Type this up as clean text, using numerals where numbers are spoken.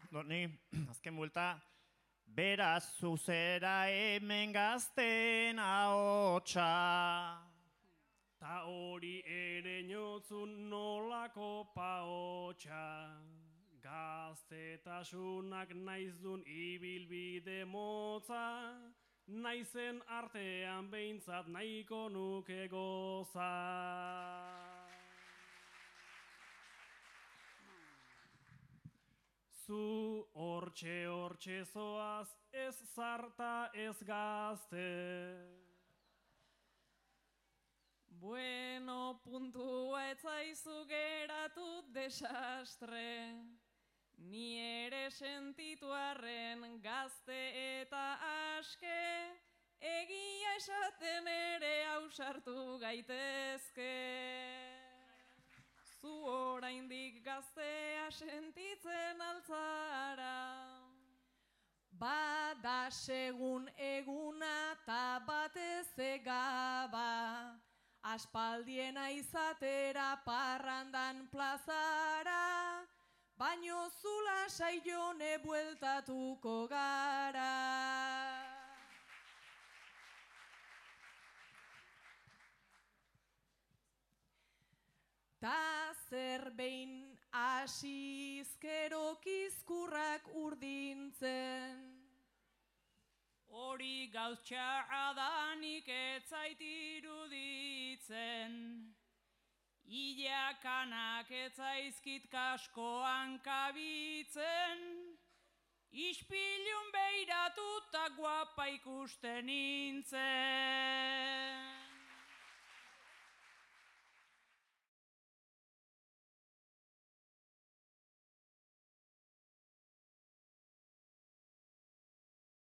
Ni azken buelta, beraz zuzera hemen gazten ahotsa. Ta hori ere inotzun nolako paotxa, gaztetasunak naizdun ibilbide motza, naizen artean behintzat nahiko nuke goza. Zu hortxe zoaz, ez zarta ez gazte. Bueno, puntua etzaizu geratu desastre. Ni ere sentitu arren gazte eta aske, egia esaten ere ausartu gaitezke. Zu oraindik gaztea sentitzen altzara. Bada segun eguna ta batez egaba, aspaldiena izatera parrandan plazara, baino zula saione bueltatuko gara. Ta zer behin asizkero kizkurrak urdintzen. Hori gauztxarra danik etzait iruditzen, ilakanak etzaizkit kaskoan kabitzen, ispilun beiratuta guapa ikusten nintzen.